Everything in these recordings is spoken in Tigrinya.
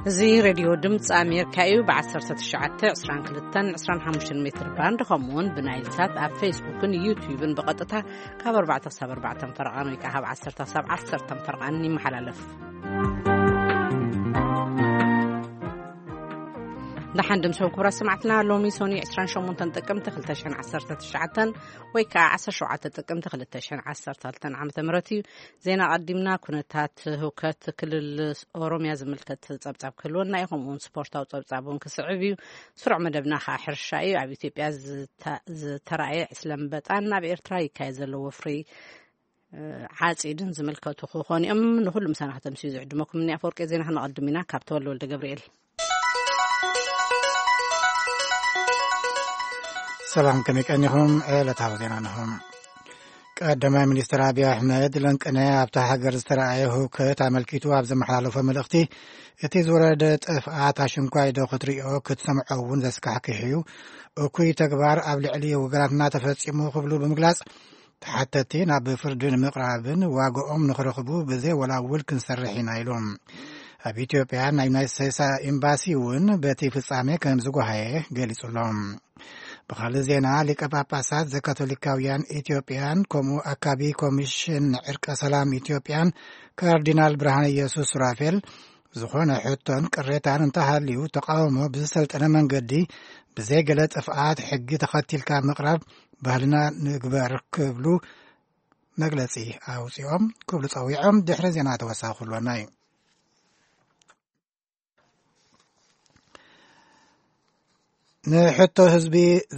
እዚ ሬድዮ ድምፂ ኣሜሪካ እዩ። ብ19፣ 22፣ 25 ሜትር ባንድ፣ ከምኡ እውን ብናይል ሳት ኣብ ፌስቡክን ዩትዩብን ብቐጥታ ካብ ኣርባዕተ ክሳብ ኣርባዕተ ፈረቓን ወይ ከዓ ካብ ዓሰርተ ክሳብ ዓሰርተ ፈረቓን ይመሓላለፍ። ደሓን ድምሶም ክቡራት ሰማዕትና፣ ሎሚ ሶኒ 28 ጥቅምቲ 2019 ወይ ከዓ 17 ጥቅምቲ 2012 ዓመተ ምህረት እዩ። ዜና ቀዲምና። ኩነታት ህውከት ክልል ኦሮሚያ ዝምልከት ጸብጻብ ክህልወና እዩ። ከምኡውን ስፖርታዊ ጸብጻብ እውን ክስዕብ እዩ። ስሩዕ መደብና ከዓ ሕርሻ እዩ። ኣብ ኢትዮጵያ ዝተ-፣ ዝተራእየ ዕስለ ኣንበጣን ኣብ ኤርትራ ይካየድ ዘሎ ወፍሪ፣ እ፣ ዓጺድን ዝምልከቱ ክኾኑ እዮም። ንኹሉ ምሳና ከተምስዩ ዝዕድመኩም እኒ ኣፈወርቂ። ዜና ክነቐድም ኢና ካብ ተወልደ ወልደ ገብርኤል። ሰላም፣ ከመይ ቀኒኹም? ዕለታዊ ዜና እንሆ። ቀዳማይ ሚኒስትር ኣብይ ኣሕመድ ለንቅነ ኣብታ ሃገር ዝተረኣየ ህውከት ኣመልኪቱ ኣብ ዘመሓላለፎ መልእኽቲ፣ እቲ ዝወረደ ጥፍኣት ኣሽንኳይ ዶ ክትሪኦ ክትሰምዖ እውን ዘስካሕክሕ እዩ። እኩይ ተግባር ኣብ ልዕሊ ወገናትና ተፈጺሙ ክብሉ ብምግላጽ፣ ተሓተቲ ናብ ፍርዲ ንምቕራብን ዋግኦም ንኽረኽቡ ብዘይ ወላውል ክንሰርሕ ኢና ኢሉ። ኣብ ኢትዮጵያ ናይ ዩናይትድ ስቴትስ ኤምባሲ እውን በቲ ፍጻሜ ከም ዝጓሃየ ገሊጹ ኣሎ። ብኻልእ ዜና፣ ሊቀ ጳጳሳት ዘካቶሊካውያን ኢትዮጵያን ከምኡ ኣካቢ ኮሚሽን ዕርቀ ሰላም ኢትዮጵያን ካርዲናል ብርሃነ ኢየሱስ ሱራፌል ዝኾነ ሕቶን ቅሬታን እንተሃልዩ ተቃውሞ ብዝሰልጠነ መንገዲ ብዘይ ገለ ጥፍኣት ሕጊ ተኸቲልካ ምቕራብ ባህልና ንግበር ክብሉ መግለጺ ኣውጺኦም ክብሉ ጸዊዖም። ድሕሪ ዜና ተወሳኺ ክህልወና እዩ። ንሕቶ ህዝቢ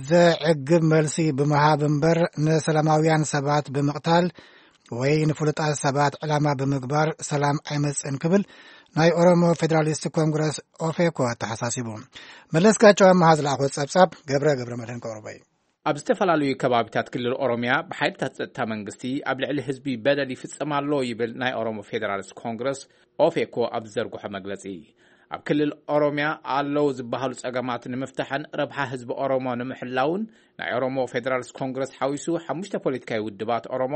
ዘዕግብ መልሲ ብምሃብ እምበር ንሰላማውያን ሰባት ብምቕታል ወይ ንፍሉጣት ሰባት ዕላማ ብምግባር ሰላም ኣይመጽእን ክብል ናይ ኦሮሞ ፌደራሊስት ኮንግረስ ኦፌኮ ኣተሓሳሲቡ። መለስካቸው ኣመሃ ዝለኣኾ ጸብጻብ ገብረ ገብረ መድህን ከቕርቦ እዩ። ኣብ ዝተፈላለዩ ከባቢታት ክልል ኦሮሚያ ብሓይልታት ጸጥታ መንግስቲ ኣብ ልዕሊ ህዝቢ በደል ይፍጸም ኣሎ ይብል ናይ ኦሮሞ ፌደራሊስት ኮንግረስ ኦፌኮ ኣብ ዝዘርግሖ መግለጺ። ኣብ ክልል ኦሮሚያ ኣለዉ ዝበሃሉ ጸገማት ንምፍታሕን ረብሓ ህዝቢ ኦሮሞ ንምሕላውን ናይ ኦሮሞ ፌደራሊስት ኮንግረስ ሓዊሱ ሓሙሽተ ፖለቲካዊ ውድባት ኦሮሞ፣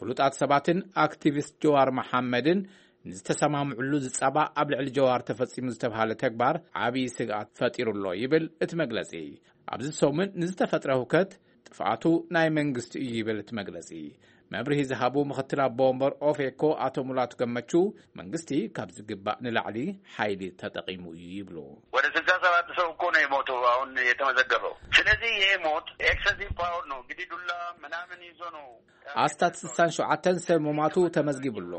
ፍሉጣት ሰባትን ኣክቲቪስት ጀዋር መሓመድን ንዝተሰማምዕሉ ዝጻባእ ኣብ ልዕሊ ጀዋር ተፈጺሙ ዝተባሃለ ተግባር ዓብዪ ስግኣት ፈጢሩ ኣሎ ይብል እቲ መግለጺ። ኣብዚ ሰሙን ንዝተፈጥረ ህውከት ጥፍኣቱ ናይ መንግስቲ እዩ ይብል እቲ መግለጺ። መብርሂ ዝሃቡ ምኽትል ኣቦ ወንበር ኦፌኮ ኣቶ ሙላቱ ገመቹ፣ መንግስቲ ካብ ዝግባእ ንላዕሊ ሓይሊ ተጠቒሙ እዩ ይብሉ። ወደ ስልሳ ሰባት ሰው እኮ ነው የሞተው አሁን የተመዘገበው። ስለዚህ ይሄ ሞት ኤክሰሲቭ ፓወር ነው እንግዲህ፣ ዱላ ምናምን ይዞ ነው። ኣስታት ስሳን ሸውዓተን ሰብ ምሟቱ ተመዝጊቡ ኣሎ።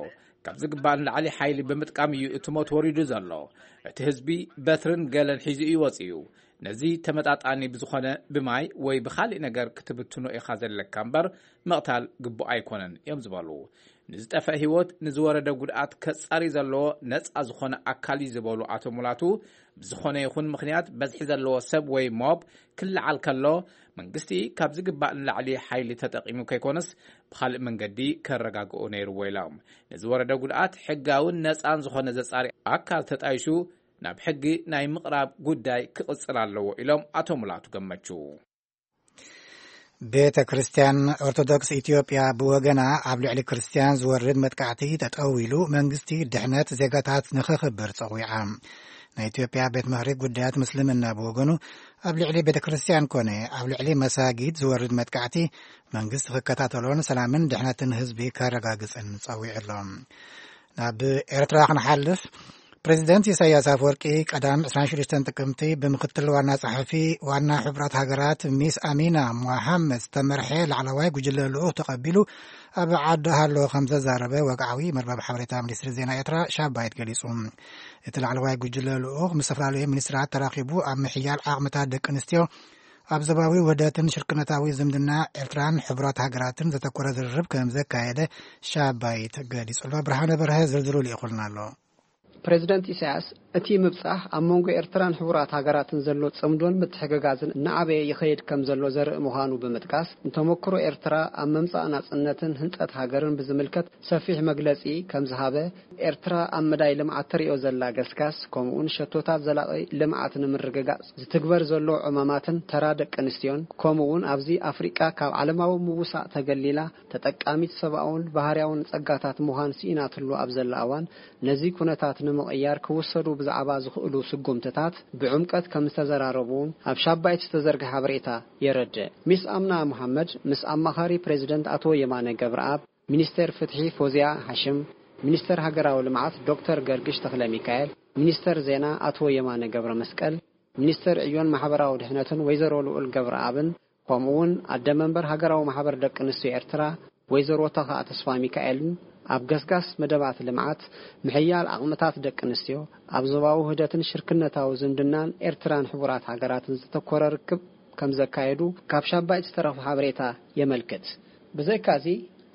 ካብ ዝግባእ ንላዕሊ ሓይሊ ብምጥቃም እዩ እቲ ሞት ወሪዱ ዘሎ። እቲ ህዝቢ በትርን ገለን ሒዙ እዩ ወፂኡ። ነዚ ተመጣጣኒ ብዝኾነ ብማይ ወይ ብኻሊእ ነገር ክትብትኖ ኢኻ ዘለካ እምበር ምቕታል ግቡእ ኣይኮነን እዮም ዝበሉ። ንዝጠፍአ ህይወት፣ ንዝወረደ ጉድኣት ከጻሪ ዘለዎ ነጻ ዝኾነ ኣካል እዩ ዝበሉ ኣቶ ሙላቱ፣ ብዝኾነ ይኹን ምኽንያት በዝሒ ዘለዎ ሰብ ወይ ሞብ ክለዓል ከሎ፣ መንግስቲ ካብ ዝግባእ ንላዕሊ ሓይሊ ተጠቒሙ ከይኮነስ ብኻልእ መንገዲ ከረጋግኦ ነይርዎ ኢሎም። ንዝወረደ ጉድኣት ሕጋውን ነጻን ዝኾነ ዘጻሪ ኣካል ተጣይሹ ናብ ሕጊ ናይ ምቕራብ ጉዳይ ክቕጽል ኣለዎ ኢሎም ኣቶ ሙላቱ ገመቹ። ቤተ ክርስቲያን ኦርቶዶክስ ኢትዮጵያ ብወገና ኣብ ልዕሊ ክርስቲያን ዝወርድ መጥቃዕቲ ጠጠው ኢሉ መንግስቲ ድሕነት ዜጋታት ንኸኽብር ጸዊዓ። ናይ ኢትዮጵያ ቤት ምኽሪ ጉዳያት ምስልምና ብወገኑ ኣብ ልዕሊ ቤተ ክርስቲያን ኮነ ኣብ ልዕሊ መሳጊድ ዝወርድ መጥቃዕቲ መንግስቲ ክከታተሎን ሰላምን ድሕነትን ህዝቢ ከረጋግጽን ጸዊዑ ኣሎ። ናብ ኤርትራ ክንሓልፍ፣ ፕሬዚደንት ኢሳያስ ኣፈወርቂ ቀዳም 26 ጥቅምቲ ብምክትል ዋና ጸሓፊ ዋና ሕቡራት ሃገራት ሚስ ኣሚና ሞሓመድ ዝተመርሐ ላዕለዋይ ጉጅለ ልኡኽ ተቐቢሉ ኣብ ዓዲ ሃሎ ከም ዘዛረበ ወግዓዊ መርበብ ሓበሬታ ሚኒስትሪ ዜና ኤርትራ ሻባይት ገሊጹ። እቲ ላዕለዋይ ጉጅለ ልኡኽ ምስ ዝተፈላለዩ ሚኒስትራት ተራኺቡ ኣብ ምሕያል ዓቕምታት ደቂ ኣንስትዮ፣ ኣብ ዞባዊ ውህደትን ሽርክነታዊ ዝምድና ኤርትራን ሕቡራት ሃገራትን ዘተኮረ ዝርርብ ከም ዘካየደ ሻባይት ገሊጹ ኣሎ። ብርሃነ በርሀ ዝርዝሩ ልኢኹልና ኣሎ። ፕሬዚደንት ኢሳያስ እቲ ምብጻሕ ኣብ መንጎ ኤርትራን ሕቡራት ሃገራትን ዘሎ ጽምዶን ምትሕግጋዝን እናዓበየ ይኸይድ ከም ዘሎ ዘርኢ ምዃኑ ብምጥቃስ፣ ንተመክሮ ኤርትራ ኣብ ምምጻእ ናጽነትን ህንጸት ሃገርን ብዝምልከት ሰፊሕ መግለጺ ከም ዝሃበ፣ ኤርትራ ኣብ መዳይ ልምዓት ተርእዮ ዘላ ገስጋስ፣ ከምኡውን ሸቶታት ዘላቒ ልምዓት ንምርግጋጽ ዝትግበር ዘሎ ዕማማትን ተራ ደቂ ኣንስትዮን፣ ከምኡውን ኣብዚ ኣፍሪቃ ካብ ዓለማዊ ምውሳእ ተገሊላ ተጠቃሚት ሰብኣውን ባህርያውን ጸጋታት ምዃን ስኢናትሉ ኣብ ዘላ እዋን፣ ነዚ ኩነታት ንምቕያር ክውሰዱ ብዛዕባ ዝኽእሉ ስጉምትታት ብዕምቀት ከም ዝተዘራረቡ ኣብ ሻባይት ዝተዘርግሐ ሓበሬታ የረድእ። ሚስ ኣምና መሓመድ ምስ ኣማኻሪ ፕሬዚደንት ኣቶ የማነ ገብረኣብ፣ ሚኒስተር ፍትሒ ፎዝያ ሓሽም፣ ሚኒስተር ሃገራዊ ልምዓት ዶክተር ገርግሽ ተኽለ ሚካኤል፣ ሚኒስተር ዜና ኣቶ የማነ ገብረ መስቀል፣ ሚኒስተር ዕዮን ማሕበራዊ ድሕነትን ወይዘሮ ልኡል ገብረኣብን፣ ከምኡ እውን ኣደ መንበር ሃገራዊ ማሕበር ደቂ ኣንስትዮ ኤርትራ ወይዘሮ ተኽኣ ተስፋ ሚካኤልን ኣብ ገስጋስ መደባት ልምዓት፣ ምሕያል ዓቕምታት ደቂ ኣንስትዮ፣ ኣብ ዞባዊ ውህደትን ሽርክነታዊ ዝምድናን ኤርትራን ሕቡራት ሃገራትን ዘተኮረ ርክብ ከም ዘካየዱ ካብ ሻባይት ዝተረኽበ ሓበሬታ የመልክት። ብዘይካዚ፣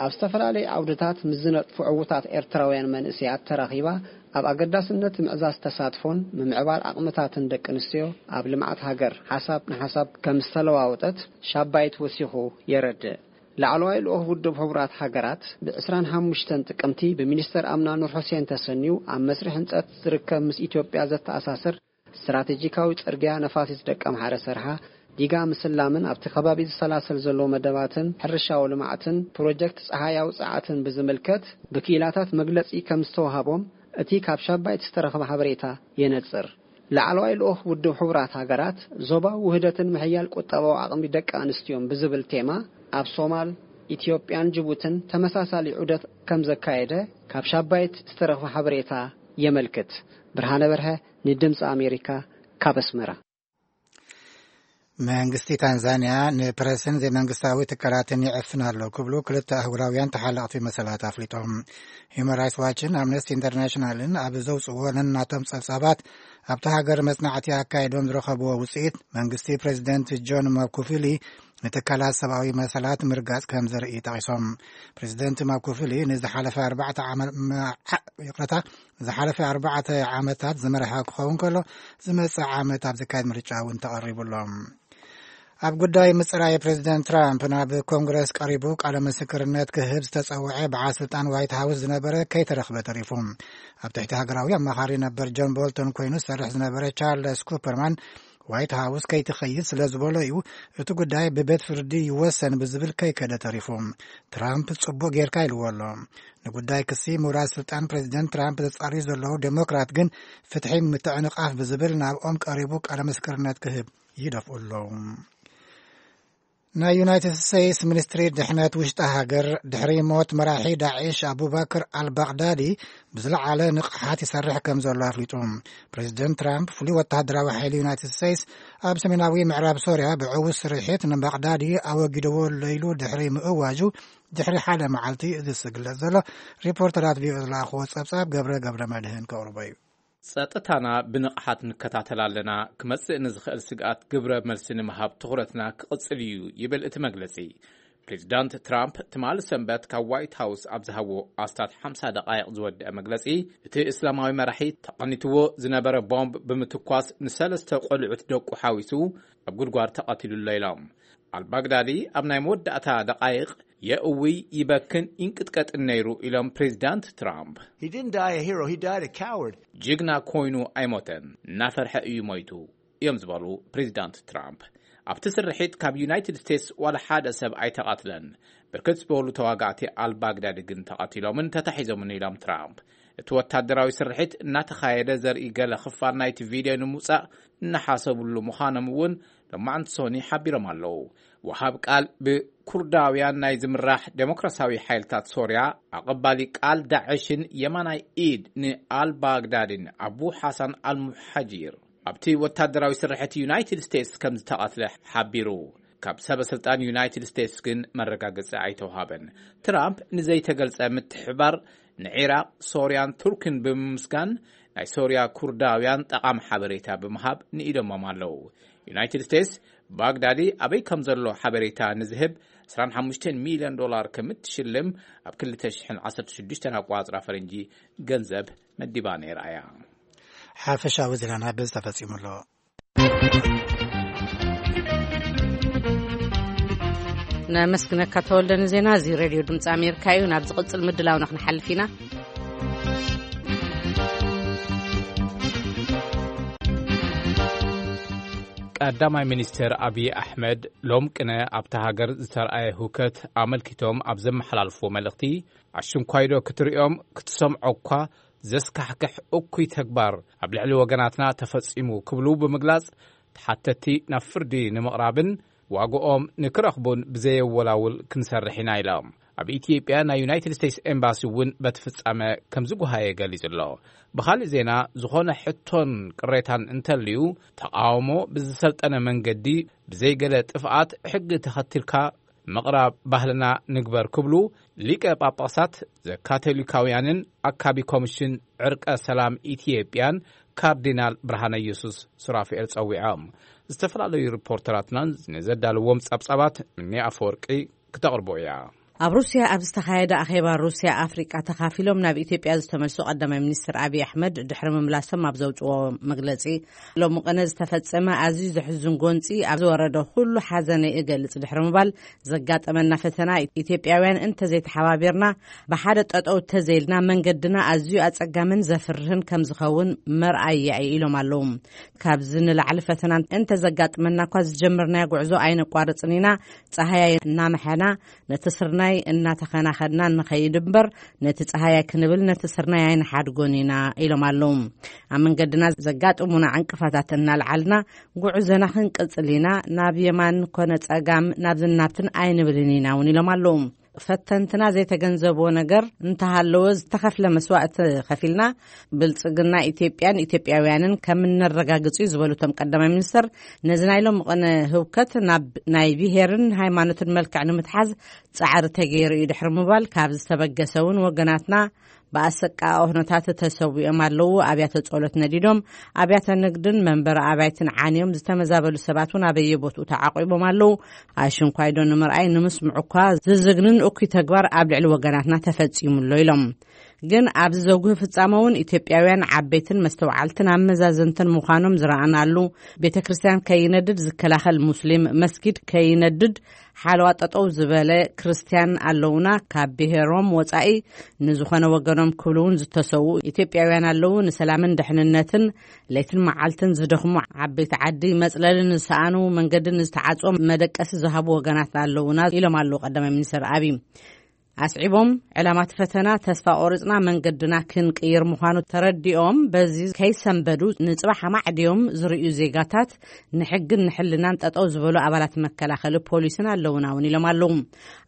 ኣብ ዝተፈላለዩ ዓውድታት ምስ ዝነጥፉ ዕዉታት ኤርትራውያን መንእሰያት ተራኺባ ኣብ ኣገዳስነት ምዕዛዝ ተሳትፎን ምምዕባል ዓቕምታትን ደቂ ኣንስትዮ ኣብ ልምዓት ሃገር ሓሳብ ንሓሳብ ከም ዝተለዋወጠት ሻባይት ወሲኹ የረድእ። ላዕለዋይ ልኡኽ ውድብ ሕቡራት ሃገራት ብ ዕስራን ሓሙሽተን ጥቅምቲ ብሚኒስተር ኣምና ኑር ሑሴን ተሰንዩ ኣብ መስርሕ ህንጸት ዝርከብ ምስ ኢትዮጵያ ዘተኣሳስር ስትራቴጂካዊ ጽርግያ ነፋሲት ደቀምሓረ ሰርሓ ዲጋ ምስላምን ኣብቲ ከባቢ ዝሰላሰል ዘሎ መደባትን ሕርሻዊ ልምዓትን ፕሮጀክት ጸሓያዊ ጸዓትን ብዝምልከት ብክኢላታት መግለጺ ከም ዝተዋሃቦም እቲ ካብ ሻባይት ዝተረኽበ ሓበሬታ የነጽር። ላዕለዋይ ልኡኽ ውድብ ሕቡራት ሃገራት ዞባዊ ውህደትን ምሕያል ቁጠባዊ ዓቕሚ ደቂ ኣንስትዮን ብዝብል ቴማ ኣብ ሶማል፣ ኢትዮጵያን ጅቡትን ተመሳሳሊ ዑደት ከም ዘካየደ ካብ ሻባይት ዝተረኽበ ሓበሬታ የመልክት። ብርሃነ በርሀ ንድምፂ ኣሜሪካ ካብ ኣስመራ። መንግስቲ ታንዛንያ ንፕረስን ዘይመንግስታዊ ትካላትን ይዕፍን ኣሎ ክብሉ ክልተ ኣህጉራውያን ተሓለቕቲ መሰላት ኣፍሊጦም። ሂዩማን ራይትስ ዋችን ኣምነስቲ ኢንተርናሽናልን ኣብ ዘውፅዎ ነናቶም ጸብጻባት ኣብቲ ሃገር መጽናዕቲ ኣካይዶም ዝረኸብዎ ውፅኢት መንግስቲ ፕሬዚደንት ጆን ማኩፊሊ ንትካላት ሰብኣዊ መሰላት ምርጋጽ ከም ዘርኢ ጠቒሶም። ፕሬዚደንት ማኩፊሊ ንዝሓለፈ ኣርባዕተ ዓመ-፣ መዓ-፣ ይቕረታ፣ ዝሓለፈ ኣርባዕተ ዓመታት ዝመርሐ ክኸውን ከሎ፣ ዝመጽእ ዓመት ኣብ ዝካየድ ምርጫ እውን ተቐሪቡ ኣሎ። ኣብ ጉዳይ ምጽራይ ፕሬዚደንት ትራምፕ ናብ ኮንግረስ ቀሪቡ ቃለ ምስክርነት ክህብ ዝተጸውዐ በዓል ስልጣን ዋይት ሃውስ ዝነበረ ከይተረኽበ ተሪፉ። ኣብ ትሕቲ ሃገራዊ ኣማኻሪ ነበር ጆን ቦልቶን ኮይኑ ዝሰርሕ ዝነበረ ቻርለስ ኩፐርማን ዋይት ሃውስ ከይትኸይድ ስለ ዝበሎ እዩ እቲ ጉዳይ ብቤት ፍርዲ ይወሰን ብዝብል ከይከደ ተሪፉ። ትራምፕ ጽቡቕ ጌርካ ኢልዎ ኣሎ። ንጉዳይ ክሲ ምውራድ ስልጣን ፕሬዚደንት ትራምፕ ዘጻርዩ ዘለዉ ዴሞክራት ግን ፍትሒ ምትዕንቓፍ ብዝብል ናብኦም ቀሪቡ ቃለ ምስክርነት ክህብ ይደፍኡ ኣለዉ። ናይ ዩናይትድ ስቴትስ ሚኒስትሪ ድሕነት ውሽጢ ሃገር ድሕሪ ሞት መራሒ ዳዒሽ ኣቡበክር ኣልባግዳዲ ብዝለዓለ ንቕሓት ይሰርሕ ከም ዘሎ ኣፍሊጡ። ፕሬዚደንት ትራምፕ ፍሉይ ወተሃደራዊ ሓይሊ ዩናይትድ ስቴትስ ኣብ ሰሜናዊ ምዕራብ ሶርያ ብዕዉት ስርሒት ንባግዳዲ ኣወጊድዎ ለይሉ ድሕሪ ምእዋጁ ድሕሪ ሓደ መዓልቲ እዩ ዝግለጽ ዘሎ። ሪፖርተራት ቪኦኤ ዝለኣኽዎ ጸብጻብ ገብረ ገብረ መድህን ከቕርቦ እዩ። ጸጥታና ብንቕሓት ንከታተል ኣለና። ክመጽእ ንዝኽእል ስግኣት ግብረ መልሲ ንምሃብ ትኹረትና ክቕጽል እዩ ይብል እቲ መግለጺ። ፕሬዚዳንት ትራምፕ ትማሊ ሰንበት ካብ ዋይት ሃውስ ኣብ ዝሃቦ ኣስታት ሓምሳ ደቓይቕ ዝወደአ መግለጺ፣ እቲ እስላማዊ መራሒ ተቐኒትዎ ዝነበረ ቦምብ ብምትኳስ ንሰለስተ ቆልዑት ደቁ ሓዊሱ ኣብ ጉድጓድ ተቐቲሉ ኣሎ ኢሎም። ኣልባግዳዲ ኣብ ናይ መወዳእታ ደቓይቕ የእውይ፣ ይበክን ይንቅጥቀጥን ነይሩ ኢሎም ፕሬዚዳንት ትራምፕ። He didn't die a hero, he died a coward. ጅግና ኮይኑ ኣይሞተን፣ እናፈርሐ እዩ ሞይቱ እዮም ዝበሉ ፕሬዚዳንት ትራምፕ። ኣብቲ ስርሒት ካብ ዩናይትድ ስቴትስ ዋላ ሓደ ሰብ ኣይተቐትለን። ብርክት ዝበሉ ተዋጋእቲ ኣልባግዳዲ ግን ተቐቲሎምን ተታሒዞምን ኢሎም ትራምፕ። እቲ ወታደራዊ ስርሒት እናተኻየደ ዘርኢ ገለ ክፋል ናይቲ ቪድዮ ንምውጻእ እናሓሰብሉ ምዃኖም እውን ሎማዕንቲ ሶኒ ሓቢሮም ኣለዉ። ወሃብ ቃል ብኩርዳውያን ናይ ዝምራሕ ዴሞክራሲያዊ ሓይልታት ሶርያ፣ ኣቐባሊ ቃል ዳዕሽን የማናይ ኢድ ንኣልባግዳዲን ኣቡ ሓሳን ኣልሙሓጂር ኣብቲ ወታደራዊ ስርሕት ዩናይትድ ስቴትስ ከም ዝተቐትለ ሓቢሩ። ካብ ሰበ ስልጣን ዩናይትድ ስቴትስ ግን መረጋገጺ ኣይተውሃበን። ትራምፕ ንዘይተገልጸ ምትሕባር ንዒራቕ፣ ሶርያን ቱርክን ብምምስጋን፣ ናይ ሶርያ ኩርዳውያን ጠቓሚ ሓበሬታ ብምሃብ ንኢዶሞም ኣለዉ። ዩናይትድ ስቴትስ ባግዳዲ ኣበይ ከም ዘሎ ሓበሬታ ንዝህብ ዕስራን ሓሙሽተን ሚልዮን ዶላር ከም እትሽልም ኣብ ክልተ ሽሕን ዓሰርተ ሽዱሽተን ኣቋጽራ ፈረንጂ ገንዘብ መዲባ ነይራ እያ። ሓፈሻዊ ዜናና በዚ ተፈጺሙ ኣሎ። ነመስግነካ ተወልደ ንዜና እዚ። ሬድዮ ድምፂ ኣሜሪካ እዩ። ናብ ዝቕፅል ምድላውና ክንሓልፍ ኢና። ቀዳማይ ሚኒስትር ኣብይ ኣሕመድ ሎም ቅነ ኣብታ ሃገር ዝተርኣየ ህውከት ኣመልኪቶም ኣብ ዘመሓላልፍዎ መልእኽቲ፣ ኣሽንኳይዶ ክትርእዮም ክትሰምዖ እኳ ዘስካሕክሕ እኩይ ተግባር ኣብ ልዕሊ ወገናትና ተፈጺሙ ክብሉ ብምግላጽ፣ ተሓተቲ ናብ ፍርዲ ንምቕራብን ዋግኦም ንክረኽቡን ብዘየወላውል ክንሰርሕ ኢና ኢሎም። ኣብ ኢትዮጵያ ናይ ዩናይትድ ስቴትስ ኤምባሲ እውን በቲ ፍጻመ ከም ዝጓሃየ ገሊጹ ኣሎ። ብኻልእ ዜና፣ ዝኾነ ሕቶን ቅሬታን እንተልዩ፣ ተቓውሞ ብዝሰልጠነ መንገዲ፣ ብዘይገለ ጥፍኣት ሕጊ ተኸቲልካ ምቕራብ ባህልና ንግበር ክብሉ ሊቀ ጳጳሳት ዘካቶሊካውያንን ኣካቢ ኮሚሽን ዕርቀ ሰላም ኢትዮጵያን ካርዲናል ብርሃነ ኢየሱስ ሱራፍኤል ጸዊዖም። ዝተፈላለዩ ሪፖርተራትናን ንዘዳለዎም ጸብጻባት ምኒ ኣፈወርቂ ክተቕርቦ እያ። ኣብ ሩስያ ኣብ ዝተኻየደ ኣኼባ ሩስያ ኣፍሪቃ ተኻፊሎም ናብ ኢትዮጵያ ዝተመልሱ ቀዳማይ ሚኒስትር ኣብይ ኣሕመድ ድሕሪ ምምላሶም ኣብ ዘውፅዎ መግለፂ፣ ሎሚ ቅነ ዝተፈጸመ ኣዝዩ ዘሕዝን ጎንፂ ኣብ ዝወረደ ኩሉ ሓዘነይ እገልጽ ድሕሪ ምባል፣ ዘጋጠመና ፈተና ኢትዮጵያውያን እንተዘይተሓባቢርና፣ ብሓደ ጠጠው ተዘይልና መንገድና ኣዝዩ ኣጸጋምን ዘፍርህን ከም ዝኸውን መርኣያ እዩ ኢሎም ኣለዉ። ካብዚ ንላዕሊ ፈተና እንተዘጋጥመና እኳ ዝጀመርናዮ ጉዕዞ ኣይነቋርጽን ኢና። ጸሃያይ እናመሐና ነቲ ስርናይ እናተኸናኸድና ንኸይድ እምበር፣ ነቲ ጸሃያይ ክንብል ነቲ ስርናይ ኣይንሓድጎን ኢና ኢሎም ኣለዉ። ኣብ መንገድና ዘጋጥሙና ዕንቅፋታት እናልዓልና ጉዕዞና ክንቅጽል ኢና። ናብ የማን ኮነ ጸጋም ናብዝን ናብትን ኣይንብልን ኢና እውን ኢሎም ኣለዉ። ፈተንትና ዘይተገንዘብዎ ነገር እንተሃለወ ዝተኸፍለ መስዋእቲ ከፊልና ብልጽግና ኢትዮጵያን ኢትዮጵያውያንን ከም እነረጋግጽ እዩ ዝበሉ እቶም ቀዳማይ ሚኒስትር፣ ነዚ ናይ ሎሚ ቅነ ህውከት ናብ ናይ ብሄርን ሃይማኖትን መልክዕ ንምትሓዝ ጻዕሪ ተገይሩ እዩ ድሕሪ ምባል፣ ካብ ዝተበገሰ እውን ወገናትና ብኣሰቃቂ ኩነታት ተሰዊኦም ኣለዉ። ኣብያተ ጸሎት ነዲዶም፣ ኣብያተ ንግድን መንበሪ ኣባይትን ዓንዮም፣ ዝተመዛበሉ ሰባት እውን ኣበየ ቦትኡ ተዓቂቦም ኣለዉ። ኣሽንኳይዶ ንምርኣይ ንምስምዑ እኳ ዝዝግንን እኩይ ተግባር ኣብ ልዕሊ ወገናትና ተፈጺሙ ኣሎ ኢሎም። ግን ኣብዚ ዘጉህ ፍጻመ እውን ኢትዮጵያውያን ዓበይትን መስተውዓልትን ኣመዛዘንትን ምዃኖም ዝረኣናሉ፣ ቤተ ክርስቲያን ከይነድድ ዝከላኸል ሙስሊም፣ መስጊድ ከይነድድ ሓለዋ ጠጠው ዝበለ ክርስቲያን ኣለውና፣ ካብ ብሔሮም ወጻኢ ንዝኾነ ወገኖም ክብሉ እውን ዝተሰዉ ኢትዮጵያውያን ኣለዉ። ንሰላምን ድሕንነትን ለይትን መዓልትን ዝደኽሙ ዓበይቲ ዓዲ መጽለሊ ንዝሰኣኑ፣ መንገዲ ንዝተዓጽዎም መደቀሲ ዝሃቡ ወገናት ኣለውና ኢሎም ኣለዉ ቀዳማይ ሚኒስትር ኣብይ። ኣስዒቦም፣ ዕላማ እቲ ፈተና ተስፋ ቆሪጽና መንገድና ክንቅይር ምዃኑ ተረዲኦም፣ በዚ ከይሰንበዱ ንጽባሕ ኣማዕድዮም ዝርእዩ ዜጋታት ንሕግን ንሕልናን ጠጠው ዝበሉ ኣባላት መከላኸሊ ፖሊስን ኣለውና እውን ኢሎም ኣለዉ።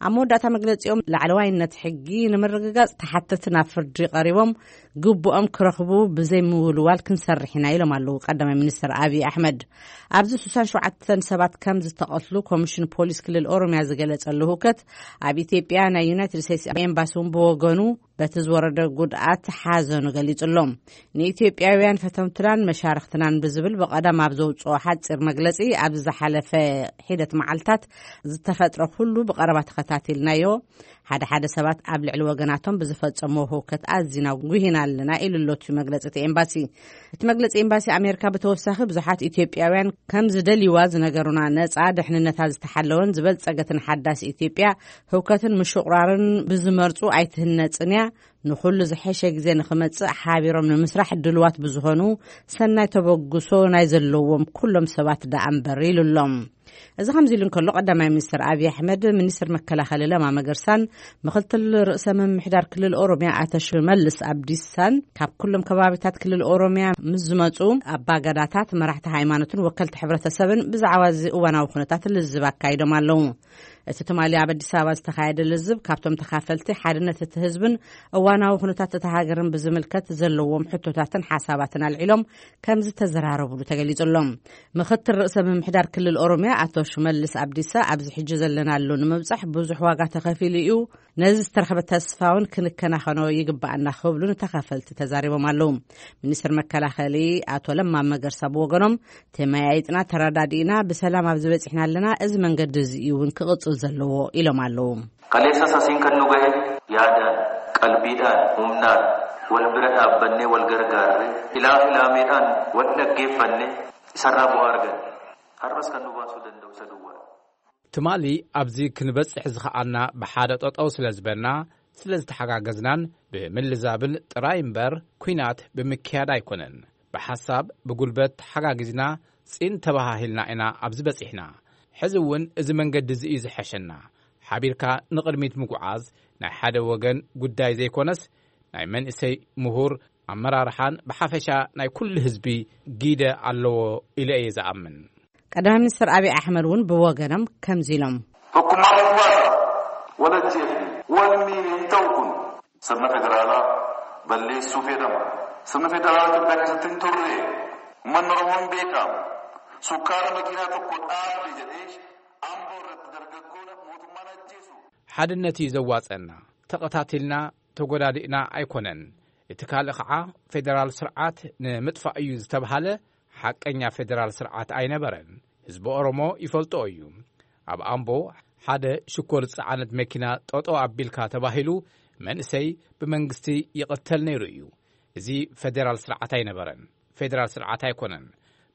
ኣብ መወዳእታ መግለጺኦም፣ ላዕለዋይነት ሕጊ ንምርግጋጽ ተሓተቲ ናብ ፍርዲ ቀሪቦም ግቡኦም ክረኽቡ ብዘይምውልዋል ክንሰርሕ ኢና ኢሎም ኣለዉ ቀዳማይ ሚኒስትር ኣብይ ኣሕመድ። ኣብዚ ስሳን ሸውዓተን ሰባት ከም ዝተቐትሉ ኮሚሽን ፖሊስ ክልል ኦሮሚያ ዝገለጸሉ ህውከት፣ ኣብ ኢትዮጵያ ናይ ዩናይትድ ስቴትስ ኤምባሲ እውን ብወገኑ በቲ ዝወረደ ጉድኣት ሓዘኑ ገሊጹ ኣሎ። ንኢትዮጵያውያን ፈተውትናን መሻርኽትናን ብዝብል ብቐዳም ኣብ ዘውጽኦ ሓጺር መግለጺ፣ ኣብ ዝሓለፈ ሒደት መዓልታት ዝተፈጥረ ኩሉ ብቐረባ ተኸታቲልናዮ። ሓደ ሓደ ሰባት ኣብ ልዕሊ ወገናቶም ብዝፈጸምዎ ህውከት ኣዚና ጉሂና ኣለና ኢሉ ኣሎ እቲ መግለጺ እቲ ኤምባሲ። እቲ መግለጺ ኤምባሲ ኣሜሪካ ብተወሳኺ ብዙሓት ኢትዮጵያውያን ከም ዝደልይዋ ዝነገሩና ነጻ፣ ድሕንነታ ዝተሓለወን ዝበልጸገትን ሓዳስ ኢትዮጵያ ህውከትን ምሽቑራርን ብዝመርጹ ኣይትህነጽን እያ። ንኹሉ ዝሐሸ ግዜ ንኽመጽእ ሓቢሮም ንምስራሕ ድልዋት ብዝኾኑ ሰናይ ተበግሶ ናይ ዘለዎም ኩሎም ሰባት ደኣ እምበር ኢሉ ኣሎ። እዚ ከምዚ ኢሉ እንከሎ፣ ቀዳማይ ሚኒስትር ኣብይ ኣሕመድ፣ ሚኒስትር መከላኸሊ ለማ መገርሳን ምኽትል ርእሰ ምምሕዳር ክልል ኦሮሚያ ኣቶ ሽመልስ ኣብዲሳን ካብ ኩሎም ከባቢታት ክልል ኦሮሚያ ምስ ዝመጹ ኣባገዳታት፣ መራሕቲ ሃይማኖትን ወከልቲ ሕብረተሰብን ብዛዕባ እዚ እዋናዊ ኩነታት ልዝብ ኣካይዶም ኣለዉ። እቲ ትማሊ ኣብ ኣዲስ ኣበባ ዝተኻየደ ልዝብ፣ ካብቶም ተኻፈልቲ ሓድነት እቲ ህዝብን እዋናዊ ኩነታት እታ ሃገርን ብዝምልከት ዘለዎም ሕቶታትን ሓሳባትን ኣልዒሎም ከም ዝተዘራረቡሉ ተገሊጹ ኣሎ። ምኽትል ርእሰ ምምሕዳር ክልል ኦሮሚያ ኣቶ ሽመልስ ኣብዲሳ፣ ኣብዚ ሕጂ ዘለናሉ ንምብጻሕ ብዙሕ ዋጋ ተኸፊሉ እዩ፣ ነዚ ዝተረኽበ ተስፋ እውን ክንከናኸኖ ይግባኣና ክብሉ ንተኻፈልቲ ተዛሪቦም ኣለዉ። ሚኒስትር መከላኸሊ ኣቶ ለማ መገርሳ ብወገኖም፣ ተመያይጥና ተረዳዲእና ብሰላም ኣብዚ በጺሕና ኣለና፣ እዚ መንገዲ እዚ እዩ እውን ክቕጽል ዘለዎ ኢሎም ኣለዉ። Kaleessas asiin kan nu gahe yaadaan, qalbiidhaan, humnaan wal bira dhaabbannee wal gargaarree, ilaa filaameedhaan wal dhaggeeffannee isarraa bu'aa arganne. Har'as kan nu baasuu danda'u isa duwwaa. ትማሊ ኣብዚ ክንበጽሕ ዝኸኣልና ብሓደ ጠጠው ስለ ዝበልና፣ ስለ ዝተሓጋገዝናን ብምልዛብን ጥራይ እምበር፣ ኲናት ብምክያድ ኣይኮነን። ብሓሳብ፣ ብጉልበት ተሓጋጊዝና፣ ጺን ተባሃሂልና ኢና ኣብዚ በጺሕና። ሕዚ እውን እዚ መንገዲ እዚ እዩ ዝሐሸና። ሓቢርካ ንቕድሚት ምጉዓዝ ናይ ሓደ ወገን ጉዳይ ዘይኮነስ፣ ናይ መንእሰይ፣ ምሁር፣ ኣመራርሓን ብሓፈሻ ናይ ኩሉ ህዝቢ ግደ ኣለዎ ኢለ እየ ዝኣምን። ቀዳማይ ሚኒስትር ኣብይ ኣሕመድ እውን ብወገኖም ከምዚ ኢሎም። Tokkummaa federaala wal ajjeefne wal miine hin ta'u kun. Sirna federaalaa balleessuuf jedhama. Sirna federaalaa Itoophiyaa keessatti hin turre. Uummanni Oromoo hin beekamu. Sukkaara makiinaa tokko dhaabe jedhee Amboo irratti dargaggoon mootummaan ajjeesu. ሓድነት እዩ ዘዋፀና። ተቐታቲልና ተጎዳዲእና ኣይኮነን። እቲ ካልእ ኸዓ ፌደራል ስርዓት ንምጥፋእ እዩ ዝተብሃለ ሓቀኛ ፌደራል ስርዓት ኣይነበረን። ህዝቢ ኦሮሞ ይፈልጦ እዩ። ኣብ ኣምቦ ሓደ ሽኮር ዝጸዓነት መኪና ጠጠው ኣቢልካ ተባሂሉ መንእሰይ ብመንግስቲ ይቕተል ነይሩ እዩ። እዚ ፌደራል ስርዓት ኣይነበረን። ፌደራል ስርዓት ኣይኮነን።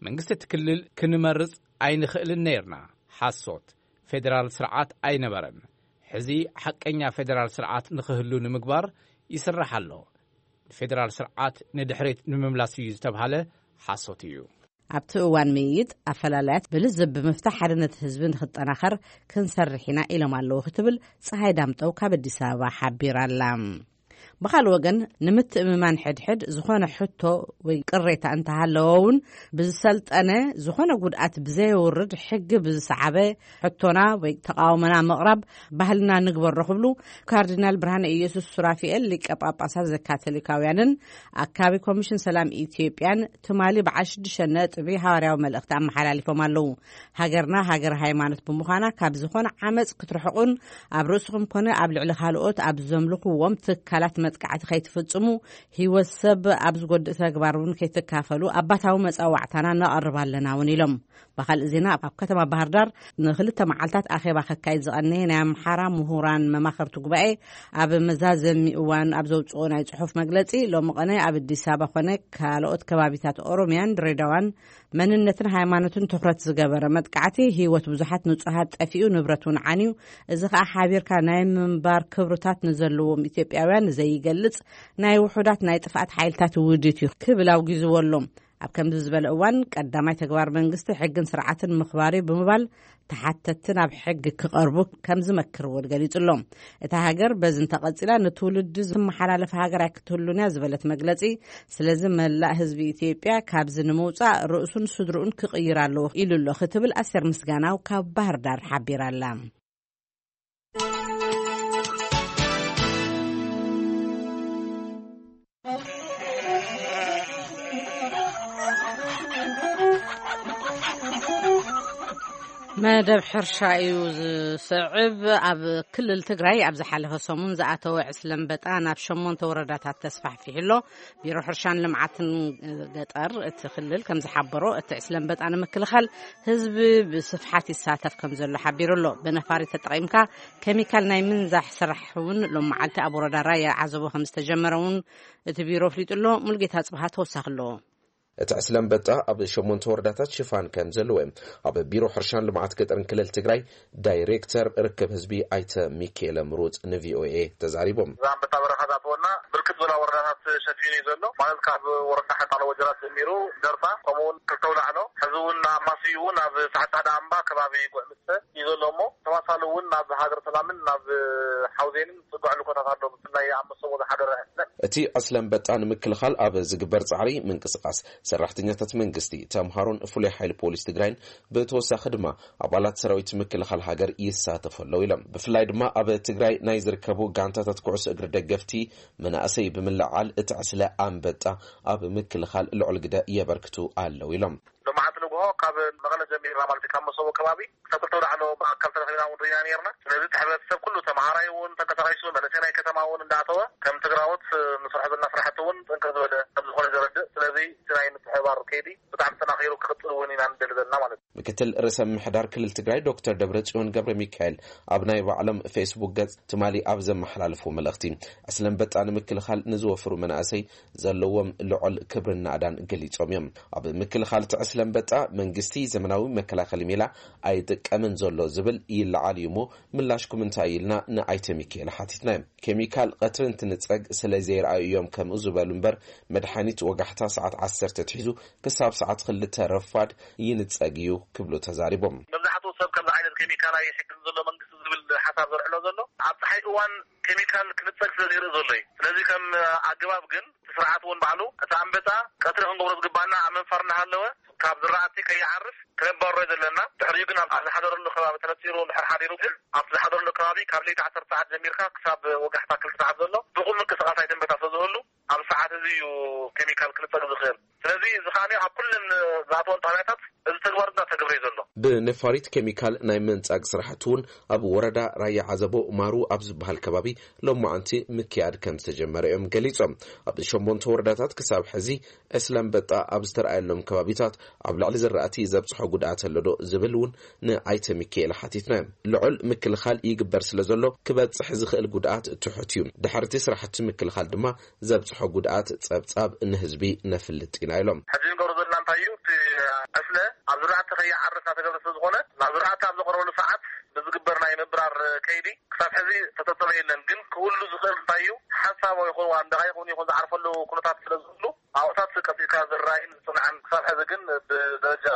መንግስቲ እቲ ክልል ክንመርጽ ኣይንኽእልን ነይርና። ሓሶት። ፌደራል ስርዓት ኣይነበረን። ሕዚ ሓቀኛ ፌደራል ስርዓት ንኽህሉ ንምግባር ይስራሕ ኣሎ። ፌደራል ስርዓት ንድሕሪት ንምምላስ እዩ ዝተብሃለ ሓሶት እዩ። ኣብቲ እዋን ምይይጥ ኣፈላላያት ብልዝብ ብምፍታሕ ሓድነት ህዝቢ ንክጠናኸር ክንሰርሕ ኢና ኢሎም ኣለዉ ክትብል ፀሃይ ዳምጠው ካብ ኣዲስ ኣበባ ሓቢራ ኣላ። ብኻልእ ወገን ንምትእምማን ሕድሕድ ዝኾነ ሕቶ ወይ ቅሬታ እንተሃለዎ እውን ብዝሰልጠነ ዝኾነ ጉድኣት ብዘየውርድ ሕጊ ብዝሰዓበ ሕቶና ወይ ተቃውሞና ምቕራብ ባህልና ንግበሮ ክብሉ ካርዲናል ብርሃነ ኢየሱስ ሱራፊኤል ሊቀ ጳጳሳት ዘካቶሊካውያንን ኣካቢ ኮሚሽን ሰላም ኢትዮጵያን ትማሊ በዓል ሽዱሽተ ነጥቢ ሃዋርያዊ መልእኽቲ ኣመሓላሊፎም ኣለዉ። ሃገርና ሃገር ሃይማኖት ብምዃና ካብ ዝኾነ ዓመፅ ክትርሕቁን ኣብ ርእስኹም ኮነ ኣብ ልዕሊ ካልኦት ኣብ ዘምልኽዎም ትካላት መጥቃዕቲ ከይትፍጽሙ፣ ህይወት ሰብ ኣብ ዝጎድእ ተግባር እውን ከይትካፈሉ ኣባታዊ መጻዋዕታና ነቐርብ ኣለና እውን ኢሎም። ብኻልእ ዜና ኣብ ከተማ ባህር ዳር ንክልተ መዓልታት ኣኼባ ከካይድ ዝቐነየ ናይ ኣምሓራ ምሁራን መማኸርቲ ጉባኤ ኣብ መዛዘሚ እዋን ኣብ ዘውፅኦ ናይ ጽሑፍ መግለጺ ሎሚ ቀነ ኣብ ኣዲስ ኣበባ ኮነ ካልኦት ከባቢታት ኦሮሚያን ድሬዳዋን መንነትን ሃይማኖትን ትኹረት ዝገበረ መጥቃዕቲ ህይወት ብዙሓት ንጹሃት ጠፊኡ ንብረት እውን ዓንዩ እዚ ከዓ ሓቢርካ ናይ ምንባር ክብርታት ንዘለዎም ኢትዮጵያውያን ዘይገልጽ ናይ ውሑዳት ናይ ጥፍኣት ሓይልታት ውዲት እዩ ክብል ኣውጊዝዎ ኣሎ። ኣብ ከምዚ ዝበለ እዋን ቀዳማይ ተግባር መንግስቲ ሕግን ስርዓትን ምኽባር እዩ ብምባል ተሓተትቲ ናብ ሕጊ ክቐርቡ ከም ዝመክር እውን ገሊጹ ኣሎ። እታ ሃገር በዚ እንተቐጺላ ንትውልዲ ዝመሓላለፍ ሃገር ኣይክትህሉን እያ ዝበለት መግለጺ፣ ስለዚ መላእ ህዝቢ ኢትዮጵያ ካብዚ ንምውጻእ ርእሱን ስድርኡን ክቕይር ኣለዎ ኢሉ ኣሎ ክትብል ኣስቴር ምስጋናው ካብ ባህር ዳር ሓቢራ ኣላ። መደብ ሕርሻ እዩ ዝስዕብ። ኣብ ክልል ትግራይ ኣብ ዝሓለፈ ሰሙን ዝኣተወ ዕስለ ኣንበጣ ናብ ሸሞንተ ወረዳታት ተስፋሕፊሑ ኣሎ። ቢሮ ሕርሻን ልምዓትን ገጠር እቲ ክልል ከም ዝሓበሮ፣ እቲ ዕስለ ኣንበጣ ንምክልኻል ህዝቢ ብስፍሓት ይሳተፍ ከም ዘሎ ሓቢሩ ኣሎ። ብነፋሪት ተጠቒምካ ኬሚካል ናይ ምንዛሕ ስራሕ እውን ሎም መዓልቲ ኣብ ወረዳ ራያ ዓዘቦ ከም ዝተጀመረ እውን እቲ ቢሮ ኣፍሊጡ ኣሎ። ሙልጌታ ጽብሃ ተወሳኺ ኣለዎ። እቲ ዕስለ ኣንበጣ ኣብ ሸሞንተ ወረዳታት ሽፋን ከም ዘለዎ እዮም ኣብ ቢሮ ሕርሻን ልምዓት ገጠርን ክልል ትግራይ ዳይሬክተር ርክብ ህዝቢ ኣይተ ሚካኤለ ምሩፅ ንቪኦኤ ተዛሪቦም። እዛ ኣንበጣ በረኻ ዝኣተወና ብርክት ዝበላ ወረዳታት ሸፊኑ እዩ ዘሎ። ማለት ካብ ወረዳ ሓጣሎ ወጀራት ጀሚሩ ደርፋ፣ ከምኡ እውን ክልተ ኣውላዕሎ፣ ሕዚ እውን ኣብ ማስዩ እውን ኣብ ሰዓት ሓደ ኣምባ ከባቢ ጉዕ ምስተ እዩ ዘሎ እሞ ተዋሳሊ እውን ናብ ሃገር ሰላምን ናብ ሓውዜንን ጽጉዕ ልኮታት ኣሎ። ብፍላይ ኣብ መሰቦ ዝሓደረ ዕስለ። እቲ ዕስለ ኣንበጣ ንምክልኻል ኣብ ዝግበር ጻዕሪ ምንቅስቓስ ሰራሕተኛታት መንግስቲ፣ ተምሃሮን ፍሉይ ሓይሊ ፖሊስ ትግራይን ብተወሳኺ ድማ ኣባላት ሰራዊት ምክልኻል ሃገር ይሳተፉ ኣለዉ ኢሎም። ብፍላይ ድማ ኣብ ትግራይ ናይ ዝርከቡ ጋንታታት ኩዕሶ እግሪ ደገፍቲ መናእሰይ ብምልዓል እቲ ዕስለ ኣንበጣ ኣብ ምክልኻል ልዑል ግደ የበርክቱ ኣለዉ ኢሎም። ሎማዓንቲ ንግሆ ካብ መቐለ ጀሚርና ማለት እዩ፣ ካብ መሰቦ ከባቢ ክሳብ ክልተ ወዳዕሎ ብኣካል ተረኺብና እውን ርኢና ነርና። ስለዚ እቲ ሕብረተሰብ ኩሉ ተመሃራይ እውን ተንቀሳቒሱ፣ መንእሰይ ናይ ከተማ እውን እንዳኣተወ ከም ትግራዎት ንሰርሖ ዘለና ስራሕቲ እውን ጥንቅቕ ዝበለ ከም ዝኾነ ዘረድእ። ስለዚ እቲ ናይ ምትሕብባር ከይዲ ብጣዕሚ ተጠናኺሩ ክቕፅል እውን ኢና ንደሊ ዘለና ማለት እዩ። ምክትል ርእሰ ምምሕዳር ክልል ትግራይ ዶክተር ደብረጽዮን ገብረ ሚካኤል ኣብ ናይ ባዕሎም ፌስቡክ ገጽ ትማሊ ኣብ ዘመሓላለፉ መልእኽቲ፣ ዕስለ ኣንበጣ ንምክልኻል ንዝወፍሩ መናእሰይ ዘለዎም ልዑል ክብርን ናእዳን ገሊጾም እዮም። ኣብ ምክልኻል እቲ ዕስለ ኣንበጣ መንግስቲ ዘመናዊ መከላኸሊ ሜላ ኣይጥቀምን ዘሎ ዝብል ይለዓል እዩ እሞ ምላሽኩም እንታይ ኢልና ንኣይተ ሚካኤል ሓቲትናዮም። ኬሚካል ቀትሪ እንትንጸግ ስለ ዘይረኣዩ እዮም ከምኡ ዝበሉ እምበር መድሓኒት ወጋሕታ ሰዓት ዓሰርተ ኣትሒዙ ክሳብ ሰዓት ክልተ ረፋድ ይንጸግ እዩ ክብሉ ተዛሪቦም። መብዛሕትኡ ሰብ ከምዚ ዓይነት ኬሚካል ኣይሕግዝን ዘሎ መንግስቲ ዝብል ሓሳብ ዘልዕሎ ዘሎ ኣብ ፀሓይ እዋን ኬሚካል ክንጸግ ስለ ዘይርኢ ዘሎ እዩ። ስለዚ ከም ኣገባብ ግን ስርዓት እውን ባዕሉ እቲ ኣንበጣ ቀትሪ ክንገብሮ ዝግባና ኣብ ምንፋር እናሃለወ ካብ ዝራእቲ ከይዓርፍ ክነባሮ ዘለና። ድሕሪኡ ግን ኣብ ዝሓደረሉ ከባቢ ተነፂሩ እንድሕር ሓዲሩ ግን ኣብቲ ዝሓደረሉ ከባቢ ካብ ለይቲ ዓሰርተ ሰዓት ጀሚርካ ክሳብ ወጋሕታ ክልተ ሰዓት ዘሎ ብቑም ምንቅስቓስ ኣይደንበታ ስለዝህሉ ኣብ ሰዓት እዚ እዩ ኬሚካል ክልፀግ ዝኽእል። ስለዚ እዚ ከዓኒ ኣብ ኩለን ዝኣተወን ጣብያታት እዚ ተግባር እናተገብረ እዩ ዘሎ። ብነፋሪት ኬሚካል ናይ መንጻግ ስራሕቲ እውን ኣብ ወረዳ ራያ ዓዘቦ ማሩ ኣብ ዝበሃል ከባቢ ሎማዓንቲ ምክያድ ከም ዝተጀመረ እዮም ገሊጾም። ኣብ ሸሞንተ ወረዳታት ክሳብ ሕዚ ዕስለ ኣንበጣ ኣብ ዝተረኣየሎም ከባቢታት ኣብ ልዕሊ ዝራእቲ ዘብጽሖ ጉድኣት ኣሎ ዶ ዝብል እውን ንኣይተ ሚካኤል ሓቲትና እዮም። ልዑል ምክልኻል ይግበር ስለ ዘሎ ክበጽሕ ዝኽእል ጉድኣት ትሑት እዩ። ድሕርቲ ስራሕቲ ምክልኻል ድማ ዘብጽሖ ጉድኣት ጸብጻብ ንህዝቢ ነፍልጥ ኢና ኢሎም። ሕጂ ንገብሮ ዘለና እንታይ እዩ? እቲ ዕስለ ኣብ ዝራእቲ ከይዓርፍ እናተገብረ ስለ ዝኾነ ናብ ዝራእቲ ኣብ ዘቕረበሉ ሰዓት ብዝግበር ናይ ምብራር ከይዲ ክሳብ ሕዚ ተተጸበ የለን። ግን ክህሉ ዝኽእል እንታይ እዩ? ሓንሳብ ይኹን ዋላ ደቓይቕ እውን ይኹን ዝዓርፈሉ ኩነታት ስለ ዝህሉ ኣብኡታት ቀጺልካ ዝረኣይን ዝጽንዓን ክሳብ ሕዚ ግን ብደረጃ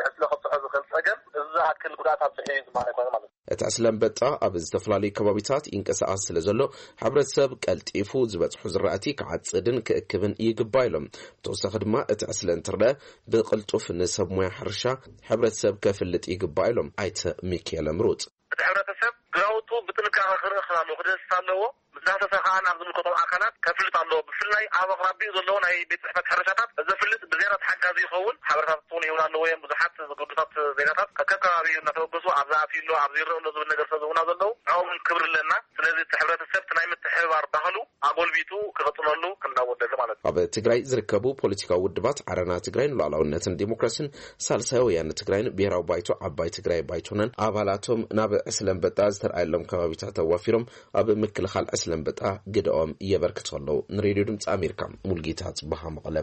ዕስለ ከብጽሖ ዝኽእል ጸገም እዚ ዝኣክል ጉድኣት ኣብጽሑ እዩ ዝበሃል ኣይኮነን ማለት እዩ። እቲ ዕስለ ኣንበጣ ኣብ ዝተፈላለዩ ከባቢታት ይንቀሳቐስ ስለ ዘሎ ሕብረተሰብ ቀልጢፉ ዝበጽሑ ዝራእቲ ክዓጽድን ክእክብን ይግባእ ኢሎም። ብተወሳኺ ድማ እቲ ዕስለ እንትረአ ብቕልጡፍ ንሰብ ሞያ ሕርሻ ሕብረተሰብ ከፍልጥ ይግባእ ኢሎም ኣይተ ሚካኤል ምሩፅ። እቲ ሕብረተሰብ ግራውቱ ብጥንቃቐ ክርኢ ክኸውን ኣለዎ፣ ክድህስስ ኣለዎ። ምስ ዳህሰሰ ከዓ ናብ ዝምልከቶም ኣካላት ከፍልጥ ኣለዎ። ብፍላይ ኣብ ኣቕራቢኡ ዘለዉ ናይ ቤት ጽሕፈት ሕርሻታት ዘፍልጥ ብዝያዳ ተሓጋዚ ይኸውን። ሓበሬታታት እውን ይህቡና ኣለዎ እዮም። ብዙሓት ዝግዱሳት ዜጋታት ከከባቢኡ እናተበገሱ ኣብዚ ኣትዩ ኣሎ፣ ኣብዚ ይረአ ኣሎ ዝብል ነገር ስለ ዝህቡና ዘለዉ ንዕኦም ክብሪ ኣለና። ስለዚ እቲ ሕብረተሰብ እቲ ናይ ምትሕብባር ባህሉ ኣጎልቢቱ ክቕጽለሉ ክንዳወደሉ ማለት እዩ። ኣብ ትግራይ ዝርከቡ ፖለቲካዊ ውድባት ዓረና ትግራይ ንሉዓላውነትን ዲሞክራሲን ሳልሳይ ወያነ ትግራይን ብሄራዊ ባይቶ ዓባይ ትግራይ ባይቶናን ኣባላቶም ናብ ዕስለ ኣንበጣ ዝተርኣየሎም ከባቢታት ኣዋፊሮም ኣብ ምክልኻል ዕስለ ኣንበጣ ግደኦም የበርክቱ ኣለዉ። ንሬድዮ ድምፂ ኣሜሪካ ሙልጌታ ጽበሃ መቐለ።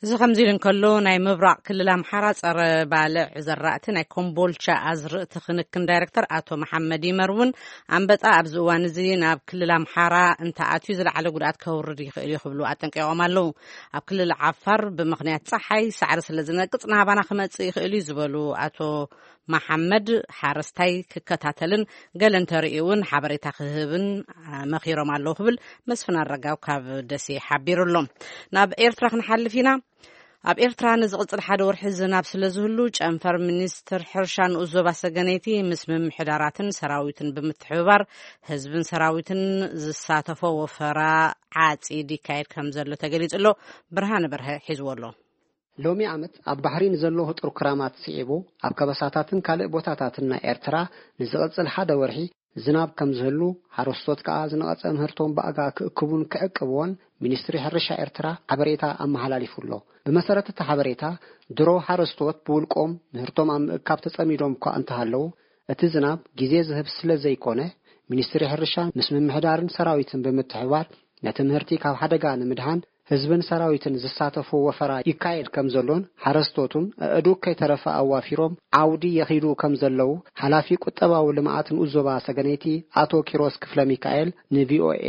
እዚ ከምዚ ኢሉ እንከሎ ናይ ምብራቕ ክልል ኣምሓራ ጸረ ባልዕ ዘራእቲ ናይ ኮምቦልቻ ኣዝርእቲ ክንክን ዳይሬክተር ኣቶ መሓመድ ይመር እውን ኣንበጣ ኣብዚ እዋን እዚ ናብ ክልል ኣምሓራ እንተኣትዩ ዝለዓለ ጉድኣት ከውርድ ይኽእል እዩ ክብሉ ኣጠንቂቖም ኣለዉ። ኣብ ክልል ዓፋር ብምኽንያት ጸሓይ ሳዕሪ ስለ ዝነቅጽ ናባና ክመጽእ ይኽእል እዩ ዝበሉ ኣቶ መሓመድ ሓረስታይ ክከታተልን ገለ እንተርእዩ እውን ሓበሬታ ክህብን መኺሮም ኣለዉ ክብል መስፍን ኣረጋው ካብ ደሴ ሓቢሩ ኣሎ። ናብ ኤርትራ ክንሓልፍ ኢና። ኣብ ኤርትራ ንዝቕጽል ሓደ ወርሒ ዝናብ ስለ ዝህሉ ጨንፈር ሚኒስትር ሕርሻ ንኡስ ዞባ ሰገነይቲ ምስ ምምሕዳራትን ሰራዊትን ብምትሕብባር ህዝብን ሰራዊትን ዝሳተፎ ወፈራ ዓጺድ ይካየድ ከም ዘሎ ተገሊጹ ኣሎ። ብርሃነ በርሀ ሒዝዎ ኣሎ። ሎሚ ዓመት ኣብ ባሕሪ ንዘሎ ህጡር ክራማት ስዒቡ ኣብ ከበሳታትን ካልእ ቦታታትን ናይ ኤርትራ ንዝቕጽል ሓደ ወርሒ ዝናብ ከም ዝህሉ ሓረስቶት ከኣ ዝነቐጸ ምህርቶም ብኣጋ ክእክቡን ክዕቅብዎን ሚኒስትሪ ሕርሻ ኤርትራ ሓበሬታ ኣመሓላሊፉ ኣሎ። ብመሰረት እቲ ሓበሬታ ድሮ ሓረስቶት ብውልቆም ምህርቶም ኣብ ምእካብ ተጸሚዶም እኳ እንተሃለዉ እቲ ዝናብ ግዜ ዝህብ ስለ ዘይኮነ ሚኒስትሪ ሕርሻ ምስ ምምሕዳርን ሰራዊትን ብምትሕብባር ነቲ ምህርቲ ካብ ሓደጋ ንምድሓን ህዝብን ሰራዊትን ዝሳተፎ ወፈራ ይካየድ ከም ዘሎን ሓረስቶቱን ኣእዱግ ከይተረፈ ኣዋፊሮም ዓውዲ የኺዱ ከም ዘለዉ ሓላፊ ቁጠባዊ ልምዓት ንኡስ ዞባ ሰገነይቲ ኣቶ ኪሮስ ክፍለሚካኤል ንቪኦኤ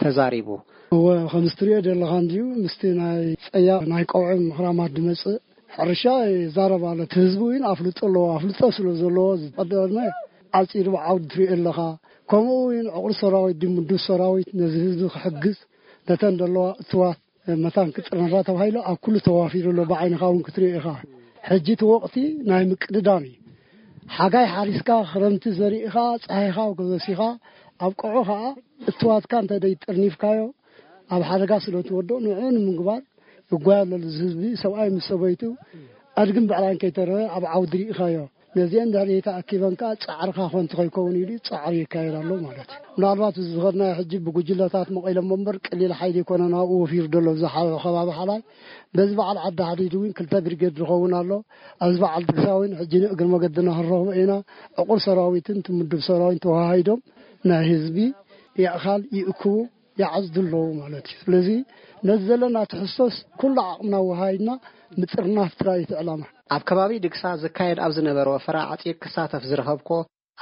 ተዛሪቡ። እወ፣ ከምዚ ትሪኦ ዘለኻ እንድዩ ምስቲ ናይ ጸያቕ ናይ ቀውዒ ምኽራማት ዝመጽእ ሕርሻ ይዛረብ ኣሎ። እቲ ህዝቢ እውን ኣፍልጦ ኣለዎ። ኣፍልጦ ስለ ዘለዎ ዝቐደመ ዓጺዱ ብዓውዲ ትሪኦ ኣለኻ። ከምኡ እውን ዕቑር ሰራዊት ድዩ ምዱብ ሰራዊት ነዚ ህዝቢ ክሕግዝ ነተን ዘለዋ እትዋት መታን ክጥርነፋ ተባሂሉ ኣብ ኩሉ ተዋፊሩ ኣሎ። ብዓይንኻ እውን ክትሪኦ ኢኻ። ሕጂ እቲ ወቕቲ ናይ ምቅድዳም እዩ። ሓጋይ ሓሪስካ ክረምቲ ዘሪእኻ ጸሃይኻ ገበሲኻ ኣብቅዑ ኸኣ እትዋትካ እንተ ደይጥርኒፍካዮ ኣብ ሓደጋ ስለ ትወድኦ ንዕኡ ንምግባር ይጓየ ኣሎ። እዚ ህዝቢ ሰብኣይ ምስ ሰበይቱ ኣድግን ብዕራይን ከይተረፈ ኣብ ዓውዲ ርኢኻዮ። ነዚአን ድሕሪ ተኣኪበን ከኣ ጻዕርኻ ኮንቲ ከይከውን ኢሉ ጻዕሪ ይካየድ ኣሎ ማለት እዩ። ምናልባት እዚ ዝኸድናዮ ሕጂ ብጉጅለታት መቒሎም እምበር ቀሊል ሓይሊ ኣይኮነን ኣብኡ ወፊሩ ዘሎ ኣብዚ ሓ- ከባቢ ሓላይ። በዚ በዓል ዓዲ ሓዲድ እውን ክልተ ብርጌድ ዝኸውን ኣሎ። ኣብዚ በዓል ድግሳ እውን ሕጂ ንእግሪ መገድና ክንረኽቦ ኢና። ዕቑር ሰራዊትን ትምዱብ ሰራዊትን ተዋሃሂዶም ናይ ህዝቢ የእኻል ይእክቡ ይዓጽዱ ኣለዉ ማለት እዩ። ስለዚ ነዚ ዘለና ትሕዝቶስ ኩሉ ዓቕምና ወሃሂድና ምጥርናፍ ጥራይ እዩ እቲ ዕላማ። ኣብ ከባቢ ድግሳ ዝካየድ ኣብ ዝነበረ ወፈራ ዓጺድ ክሳተፍ ዝረኸብኮ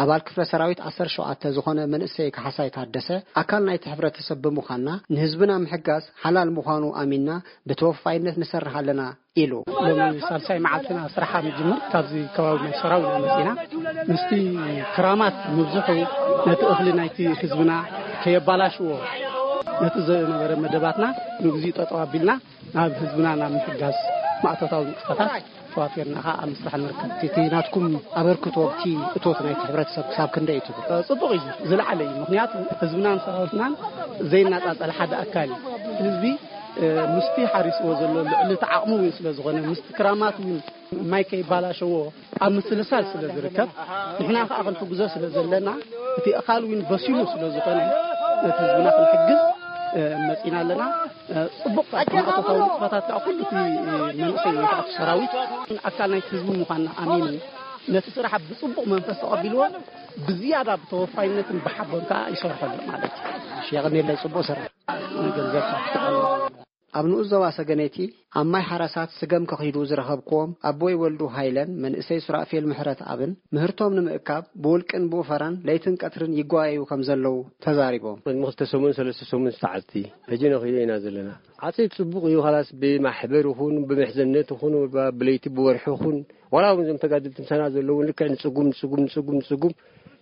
ኣባል ክፍለ ሰራዊት ዓሰርተ ሸውዓተ ዝኾነ መንእሰይ ካሕሳይ ታደሰ ኣካል ናይቲ ሕብረተሰብ ብምዃንና ንህዝብና ምሕጋዝ ሓላል ምዃኑ ኣሚንና ብተወፋይነት ንሰርሕ ኣለና ኢሉ። ሎሚ ሳልሳይ መዓልትና ስራሓ ምጅምር ካብዚ ከባቢ ናይ ሰራው ኢና መጺና። ምስቲ ክራማት ምብዝሑ ነቲ እኽሊ ናይቲ ህዝብና ከየባላሽዎ ነቲ ዝነበረ መደባትና ንግዚኡ ጠጠው ኣቢልና ናብ ህዝብና ናብ ምሕጋዝ ማእቶታዊ ንጥፈታት ተዋፊርና ከዓ ኣብ ምስራሕ ንርከብ። እቲ ናትኩም ኣበርክቶ ኣብቲ እቶት ናይቲ ሕብረተሰብ ክሳብ ክንደይ እዩ ትብል? ጽቡቕ እዩ፣ ዝለዓለ እዩ። ምክንያቱ ህዝብናን ሰራዊትናን ዘይናጻጸል ሓደ ኣካል እዩ። ህዝቢ ምስቲ ሓሪስዎ ዘሎ ልዕሊ እቲ ዓቕሙ እውን ስለ ዝኾነ ምስቲ ክራማት እውን ማይ ከይባላሸዎ ኣብ ምስልሳል ስለ ዝርከብ ንሕና ከዓ ክንሕግዞ ስለ ዘለና እቲ ኣኻል እውን በሲሉ ስለ ዝኾነ ነቲ ህዝብና ክንሕግዝ መፂና ኣለና። ፅቡቅ ማእቶታዊ ንጥፈታት ከዓ ኩሉ እቲ መንእሰይ ወይ ከዓ ሰራዊት ኣካል ናይቲ ህዝቢ ምኳንና ኣሚኑ ነቲ ስራሕ ብፅቡቅ መንፈስ ተቐቢልዎ ብዝያዳ ብተወፋይነትን ብሓቦን ከዓ ይሰርሖ ኣሎ ማለት እዩ። የቐኔለይ፣ ፅቡቅ ስራሕ። ገንዘብ ኣብ ንኡስ ዞባ ሰገነይቲ ኣብ ማይ ሓረሳት ስገም ከኺዱ ዝረኸብክዎም ኣቦይ ወልዱ ሃይለን መንእሰይ ሱራፌል ምሕረት ኣብን ምህርቶም ንምእካብ ብውልቅን ብኡፈራን ለይትን ቀትርን ይጓየዩ ከም ዘለዉ ተዛሪቦም። ቅድሚ ክልተ ሰሙን ሰለስተ ሰሙን ዝተዓፅቲ ሕጂ ነኺዶ ኢና ዘለና። ዓፂድ ፅቡቕ እዩ። ኻላስ ብማሕበር ይኹን ብምሕዘነት ይኹን ብለይቲ ብወርሒ ይኹን ዋላ እውን እዞም ተጋድልቲ ምሳና ዘለውን ልክዕ ንፅጉም ንፅጉም ንፅጉም ንፅጉም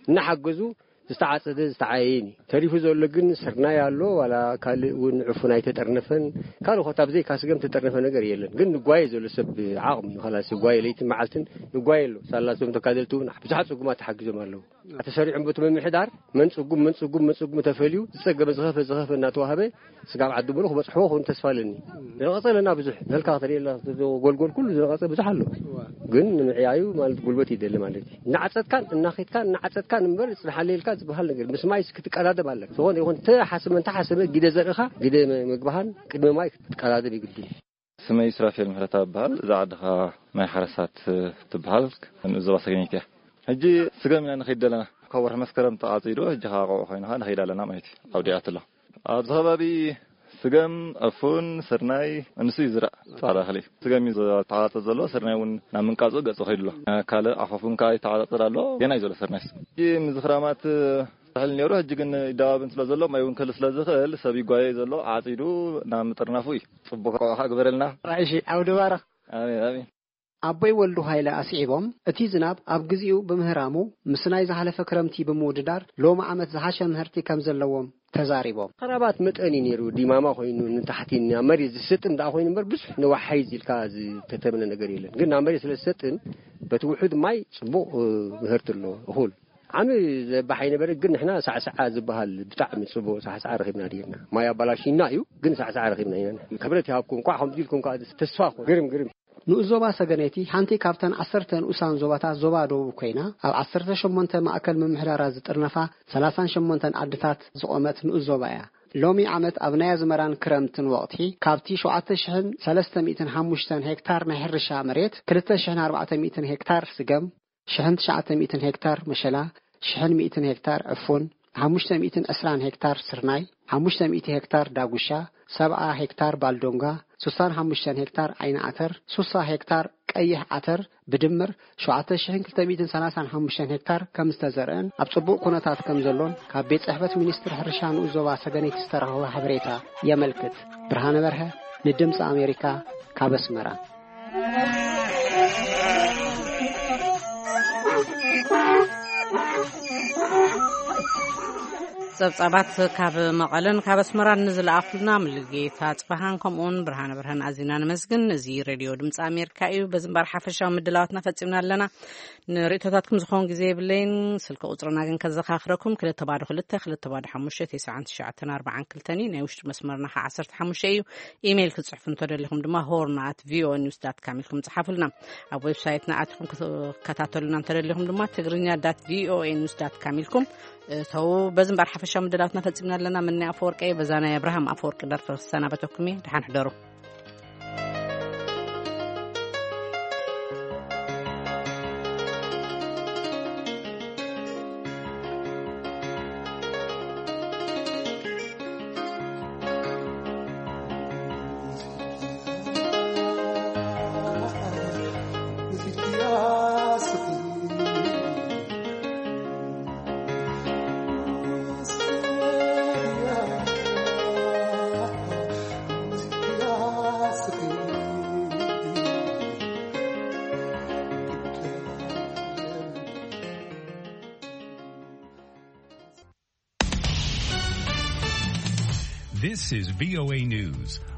እናሓገዙ ዝተዓፀደ ዝተዓየይን እዩ። ተሪፉ ዘሎ ግን ስርናይ ኣሎ። ዋላ ካልእ እውን ዕፉን ኣይተጠርነፈን። ካልእ ኮታ ብዘይካ ስገም ተጠርነፈ ነገር የለን። ግን ንጓየ ዘሎ ሰብ ዓቕሚ እዩ። ኻላስ ይጓየ ለይትን መዓልትን ይጓየ ኣሎ። ሳላሶም ተጋደልቲ እውን ብዙሓት ፅጉማት ተሓጊዞም ኣለዉ። ተሰሪዖም በቲ ምምሕዳር መን ፅጉም መን ፅጉም መን ፅጉም ተፈልዩ ዝፀገመ ዝኸፈ ዝኸፈ እናተዋህበ ስጋብ ዓዲ ሙሉ ክበፅሕዎ ክውን ተስፋ ኣለኒ። ዝነቐፀ ኣለና ብዙሕ። ነልካ ከተርእየላ ጎልጎል ኩሉ ዝነቐፀ ብዙሕ ኣሎ። ግን ንምዕያዩ ማለት ጉልበት ይደሊ ማለት እዩ። እናዓፀጥካን እናኸድካን እናዓፀጥካን እምበር ፅንሓለ ኢልካ ዝበሃል ነገር ምስ ማይ ክትቀዳደም ኣለካ። ዝኾነ ይኹን ተሓስበ እንተሓስበ ግደ ዘርእኻ ግደ ምግባሃን ቅድሚ ማይ ክትቀዳደም ይግድን። ስመይ ሱራፌል ምሕረታ እበሃል። እዛ ዓድኻ ማይ ሓረሳት ትበሃል። ንዞባ ሰገነይቲ እያ። ሕጂ ስገም ኢና ንኸይድ ዘለና። ካብ ወርሒ መስከረም ተቓጺዱ፣ ሕጂ ኸዓ ቆብዕ ኮይንኻ ንኸይድ ኣለና ማለት እዩ። ኣብ ዲያት ኣሎ። ኣብዚ ከባቢ ስገም፣ ዕፉን፣ ስርናይ፣ እንሱ እዩ ዝረእ። ጻዕዳ እኽሊ። ስገም እዩ ዝተዓጻጸ ዘሎ፣ ስርናይ እውን ናብ ምንቃጹ ገጹ ከይዱ ኣሎ። ካልእ ዓፋፉን ከኣ ይተዓጻጸድ ኣሎ። ገና እዩ ዘሎ ስርናይስ። ሕጂ ምዝኽራማት ዝሕል ነይሩ፣ ሕጂ ግን ይደባብን ስለ ዘሎ፣ ማይ እውን ክህሉ ስለ ዝኽእል፣ ሰብ ይጓየ ዘሎ፣ ዓጺዱ ናብ ምጥርናፉ እዩ። ጽቡቕ ቆብዓ ግበረልና። እሺ፣ ዓውዲ ባረኽ። ኣሜን፣ ኣሜን። ኣቦይ ወልዱ ሃይለ ኣስዒቦም፣ እቲ ዝናብ ኣብ ግዜኡ ብምህራሙ፣ ምስ ናይ ዝሓለፈ ክረምቲ ብምውድዳር፣ ሎሚ ዓመት ዝሓሸ ምህርቲ ከም ዘለዎም ተዛሪቦም። ኸራባት መጠን እዩ ነይሩ፣ ዲማማ ኮይኑ ንታሕቲ ናብ መሬት ዝሰጥም ደኣ ኮይኑ እምበር፣ ብዙሕ ንዋሓይ ኢልካ ዝተተምነ ነገር የለን። ግን ናብ መሬት ስለ ዝሰጥም፣ በቲ ውሑድ ማይ ጽቡቕ፣ እ፣ ምህርቲ ኣሎ፣ እኹል። ዓሚ ዘባሕ ኣይነበረ፣ ግን ንሕና ሳዕሳዓ ዝበሃል ብጣዕሚ ጽቡቕ ሳዕሳዓ ረኺብና ድየና። ማይ ኣባላሽና እዩ፣ ግን ሳዕሳዓ ረኺብና ኢና። ክብረት ይሃብኩም፣ እንቋዕ ከምዚ ኢልኩም ከኣ ተስፋ ኮን። ግርም፣ ግርም። ንኡስ ዞባ ሰገነይቲ ሓንቲ ካብተን ዓሰርተ ንኡሳን ዞባታት ዞባ ደቡብ ኮይና፣ ኣብ ዓሰርተ ሸሞንተ ማእከል ምምሕዳራት ዝጥርነፋ ሰላሳን ሸሞንተን ዓድታት ዝቖመት ንኡስ ዞባ እያ። ሎሚ ዓመት ኣብ ናይ ኣዝመራን ክረምትን ወቕቲ ካብቲ ሸውዓተ ሽሕን ሰለስተ ሚእትን ሓሙሽተን ሄክታር ናይ ሕርሻ መሬት ክልተ ሽሕን ኣርባዕተ ሚእትን ሄክታር ስገም፣ ሽሕን ትሽዓተ ሚእትን ሄክታር መሸላ፣ ሽሕን ሚእትን ሄክታር ዕፉን፣ ሓሙሽተ ሚእትን ዕስራን ሄክታር ስርናይ፣ ሓሙሽተ ሚእቲ ሄክታር ዳጉሻ፣ ሰብዓ ሄክታር ባልዶንጋ፣ ሱሳን ሓሙሽተን ሄክታር ዓይኒ ዓተር፣ ሱሳ ሄክታር ቀይሕ ዓተር፣ ብድምር ሸውዓተ ሽሕን ክልተ ሚእትን ሰላሳን ሓሙሽተን ሄክታር ከም ዝተዘርአን ኣብ ጽቡቕ ኩነታት ከም ዘሎን ካብ ቤት ጽሕፈት ሚኒስትሪ ሕርሻ ንኡስ ዞባ ሰገነይቲ ዝተረኸበ ሓበሬታ የመልክት። ብርሃነ በርሀ ንድምጺ ኣሜሪካ ካብ ኣስመራ። ጸብጻባት ካብ መቐለን ካብ ኣስመራን ንዝለኣኹልና ምልጌታ ጽባሃን ከምኡውን ብርሃነ ብርሃን ኣዚና ነመስግን። እዚ ሬድዮ ድምፂ ኣሜሪካ እዩ። በዚ እምበር ሓፈሻዊ ምድላዋትና ፈጺምና ኣለና። ንርእቶታትኩም ዝኸውን ግዜ የብለይን። ስልኪ ቁጽርና ግን ከዘኻኽረኩም፣ ክልተ ባዶ ክልተ፣ ክልተ ባዶ ሓሙሽተ፣ ተስዓን ትሽዓተን ኣርባዓን ክልተን እዩ። ናይ ውሽጢ መስመርና ኸዓ ዓሰርተ ሓሙሽተ እዩ። ኢሜይል ክትጽሕፉ እንተደሊኹም ድማ ሆርን ኣት ቪኦኤ ኒውስ ዳት ካም ኢልኩም ጽሓፉልና። ኣብ ዌብሳይትና ኣቲኹም ክትከታተሉና እንተደሊኹም ድማ ትግርኛ ዳት ቪኦኤ ኒውስ ዳት ካም ኢልኩም እተው። በዚ እምበር ሓፈሻዊ ምድላትና ፈጺምና ኣለና። ምኒ ኣፈወርቂ እየ። በዛ ናይ ኣብርሃም ኣፈወርቂ ደርፊ ክሰናበተኩም እየ። ደሓን ሕደሩ። This is V O A News.